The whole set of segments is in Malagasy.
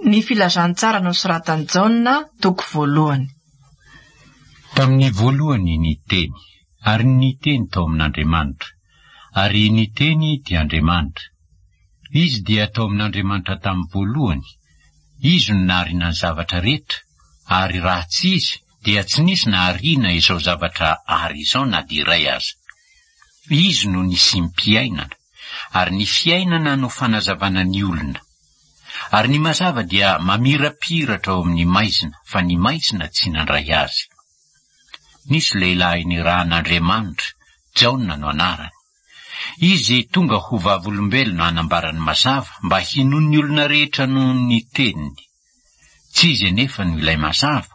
Ny Filazantsara nosoratan'i Jaona, toko voalohany. Tamin'ny voalohany ny Teny, ary ny Teny tao amin'Andriamanitra, ary ny Teny dia Andriamanitra. Izy dia tao amin'Andriamanitra tamin'ny voalohany. Izy no naharina ny zavatra rehetra, ary raha tsy Izy dia tsy nisy naharina izao zavatra ary izao na dia iray aza. Izy no nisim-piainana, ary ny fiainana no fanazavana ny olona. Ary ny mazava dia mamirapiratra ao amin'ny maizina, fa ny maizina tsy nandray azy. Nisy lehilahy nirahan'Andriamanitra, Jaona no anarany. Izy tonga ho vavolombelona hanambara ny mazava mba hinoan'ny olona rehetra noho ny teniny. Tsy izy anefa no ilay mazava,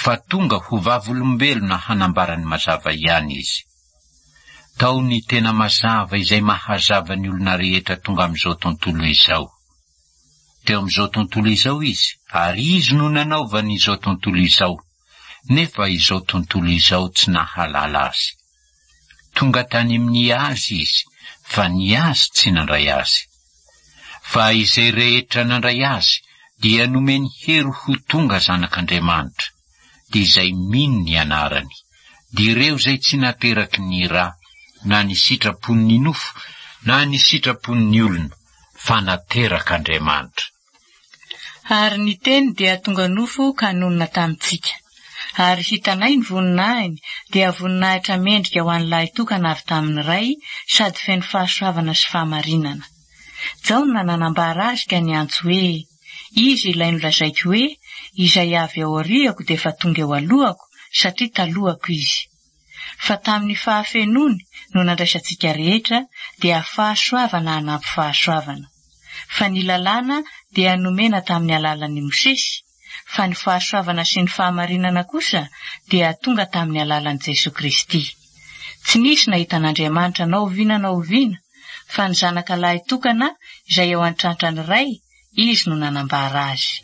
fa tonga ho vavolombelona hanambara ny mazava ihany izy. Tao ny tena mazava izay mahazava ny olona rehetra tonga amin'izao tontolo izao. Teo amin'izao tontolo izao izy, ary izy no nanaovany izao tontolo izao, nefa izao tontolo izao tsy nahalala azy. Tonga tany amin'ny azy izy, fa ny azy tsy nandray azy. Fa izay rehetra nandray azy dia nomeny hery ho tonga zanak'Andriamanitra, dia izay mino ny anarany, dia ireo izay tsy nateraky ny ra, na ny sitrapon'ny nofo, na ny sitrapon'ny olona, fa naterak'Andriamanitra. Ary ny Teny dia tonga nofo ka nonina tamintsika. Ary hitanay ny voninahiny, dia voninahitra mendrika ho an'ny lahitokana avy tamin'ny Ray, sady feno fahasoavana sy fahamarinana. Jaona nanambara azy ka niantso hoe, Izy ilay nolazaiko hoe, Izay avy ao aoriako dia efa tonga eo alohako, satria talohako izy. Fa tamin'ny fahafenoany no nandraisantsika rehetra dia fahasoavana hanampy fahasoavana. Fa ny lalàna dia nomena tamin'ny alalan'i Mosesy, fa ny fahasoavana sy ny fahamarinana kosa dia tonga tamin'ny alalan'i Jesoa Kristy. Tsy nisy nahita an'Andriamanitra na oviana na oviana, fa ny Zanaka lahy tokana izay eo an-trantran'ny Ray, Izy no nanambara azy.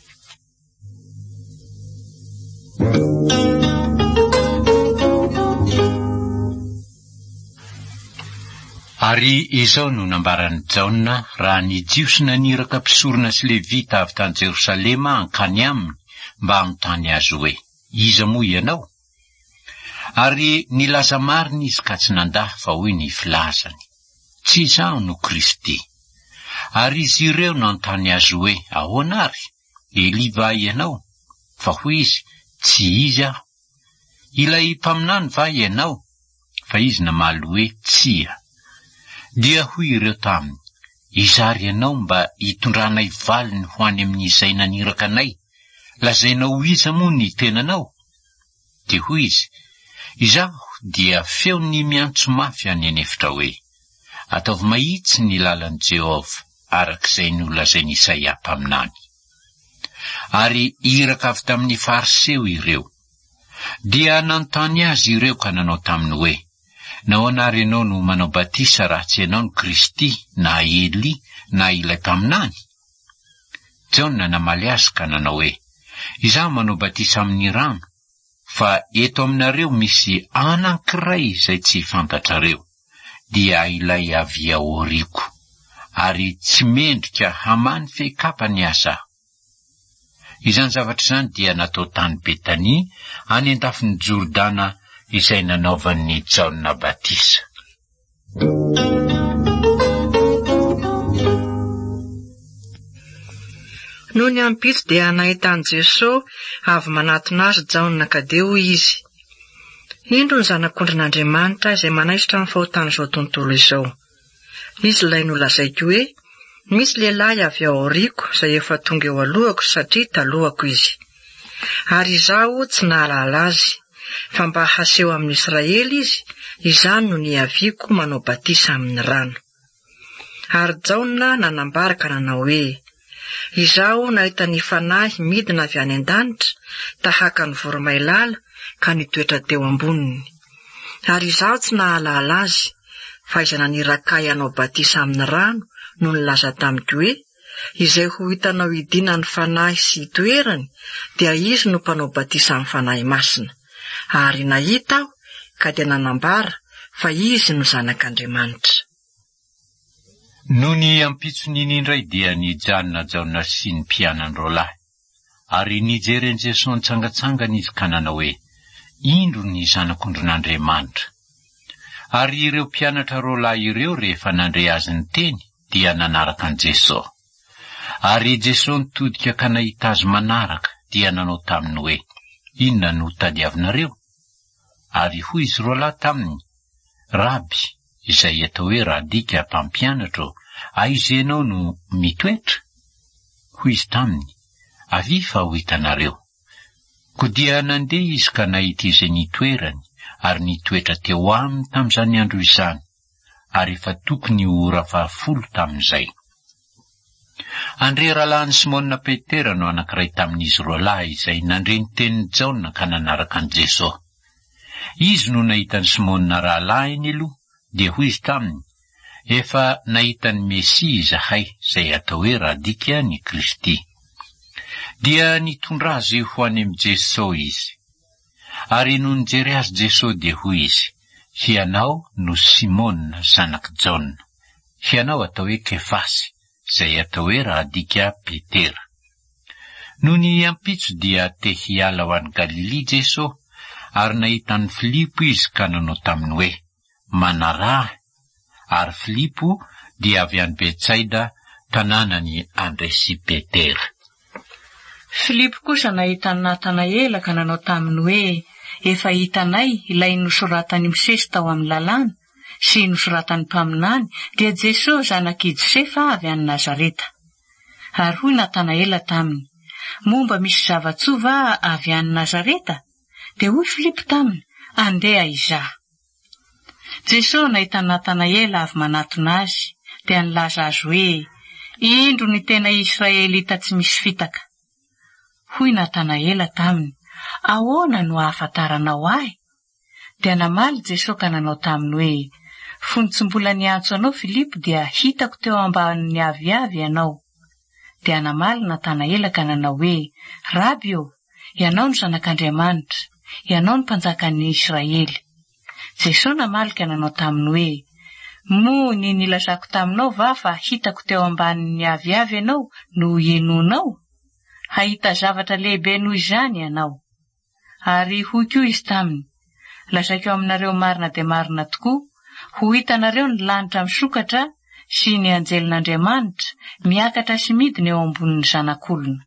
Ary izao no nambaran'i Jaona raha ny Jiosy naniraka mpisorona sy Levita avy tany Jerosalema hankany aminy mba hanontany azy hoe, Iza moa ianao? Ary nilaza marina izy ka tsy nandà fa hoy ny filazany, Tsy izaho no Kristy. Ary izy ireo nanontany azy hoe, Ahoana àry? Elia va ianao? Fa hoy izy, Tsy izy aho. Ilay mpaminany va ianao? Fa izy namaly hoe, Tsia. Dia hoy ireo taminy, Iza àry ianao mba hitondranay valiny ho any amin'izay naniraka anay? Lazainao ho iza moa ny tenanao? Dia hoy izy, Izaho dia feon'ny miantso mafy any an'efitra hoe, 'Ataovy mahitsy ny lalan'i Jehovah, araka izay nolazain'i Isaia mpaminany. Ary iraka avy tamin'ny Fariseo ireo. Dia nanontany azy ireo ka nanao taminy hoe, Nahoana àry ianao no manao batisa raha tsy ianao no Kristy, na Elia, na ilay mpaminany? Jaona namaly azy ka nanao hoe, Izaho manao batisa amin'ny rano, fa eto aminareo misy anankiray izay tsy fantatrareo, dia ilay avy aoriako, ary tsy mendrika hamaha ny fehikapany aza aho. Izany zavatra izany dia natao tany Betania, any an-dafin'i Jordana, izay nanaovan'i Jaona batisa. Nony ampitso dia nahita an'i Jesoa avy manatona azy Jaona ka dia hoy izy, Indro ny Zanak'ondrin'Andriamanitra izay manaisotra ny fahotan'izao tontolo izao. Izy ilay nolazaiko hoe, Misy lehilahy avy ao aoriako izay efa tonga eo alohako satria talohako izy. Ary izaho tsy nahalala azy, fa mba haseho amin'i Israely izy, izany no niaviako manao batisa amin'ny rano. Ary Jaona nanambara ka nanao hoe, Izaho nahita ny Fanahy midina avy any an-danitra tahaka ny voromailala ka nitoetra teo amboniny. Ary izaho tsy nahalala azy, fa izay naniraka ahy hanao batisa amin'ny rano no nilaza tamiko hoe, Izay ho hitanao hidinan'ny Fanahy sy hitoerany, dia izy no mpanao batisa amin'ny Fanahy Masina. Ary nahita aho, ka dia nanambara fa izy no Zanak'Andriamanitra. Nony ampitson'iny indray dia nijanona Jaona sy ny mpianany roalahy. Ary nijery an'i Jesoa nitsangantsangana izy ka nanao hoe, Indro ny Zanak'ondrin'Andriamanitra. Ary ireo mpianatra roalahy ireo rehefa nandre azy niteny dia nanaraka an'i Jesoa. Ary Jesoa nitodika ka nahita azy manaraka dia nanao taminy hoe, Inona no tadiavinareo? Ary hoy izy roalahy taminy, Raby, izay atao hoe Radika mpampianatra ô, aiza ianao no mitoetra? Hoy izy taminy, Avia fa ho hitanareo. Koa dia nandeha izy ka nahita izay nitoerany, ary nitoetra teo aminy tamin'izany andro izany, ary efa tokony ho ora fahafolo tamin'izay. Andre rahalahin'i Simona Petera no anankiray tamin'izy roalahy izay nandre ny tenin'i Jaona ka nanaraka an'i Jesoa. Izy no nahita an'i Simona rahalahiny aloha, dia hoy izy taminy, Efa nahita ny Mesia izahay, izay atao hoe Radika ny Kristy. Dia nitondra azy ho any amin'i Jesoa izy. Ary nony nijery azy Jesoa dia hoy izy, Hianao no Simona zanak'i Jaona. Hianao atao hoe Kefasy, izay atao hoe raha adika Petera. Nony ampitso dia te hiala ho any Galilia Jesoa, ary nahita an'i Filipo izy ka nanao taminy hoe, Manaraha ahy. Ary Filipo dia avy any Betsaida, tanànan'i Andre sy Petera. Filipo kosa nahita an'i Natanaela ka nanao taminy hoe, Efa hitanay ilay nosoratan'i Mosesy tao amin'ny Lalàna, sy nosoratan'ny mpaminany, dia Jesoa zanak'i Josefa avy any Nazareta. Ary hoy Natanaela taminy, Moa mba misy zava-tsoa va avy any Nazareta? Dia hoy Filipo taminy, Andeha hizaha. Jesoa nahita an'i Natanaela avy manatona azy, dia nilaza azy hoe, Indro ny tena Israelita tsy misy fitaka. Hoy Natanaela taminy, Ahoana no ahafantaranao ahy? Dia namaly Jesoa ka nanao taminy hoe, Fony tsy mbola niantso anao Filipo dia hitako teo ambanin'ny aviavy ianao. Dia namaly Natanaela ka nanao hoe, Raby ô, ianao no Zanak'Andriamanitra, ianao no Mpanjakan'ny Israely. Jesoa namaly ka nanao taminy hoe, Moa ny nilazako taminao va fa hitako teo ambanin'ny aviavy ianao no hinoanao? Hahita zavatra lehibe noho izany ianao. Ary hoy koa izy taminy, Lazaiko aminareo marina dia marina tokoa, ho hitanareo ny lanitra misokatra sy ny anjelin'Andriamanitra miakatra sy midina eo ambonin'ny Zanak'olona.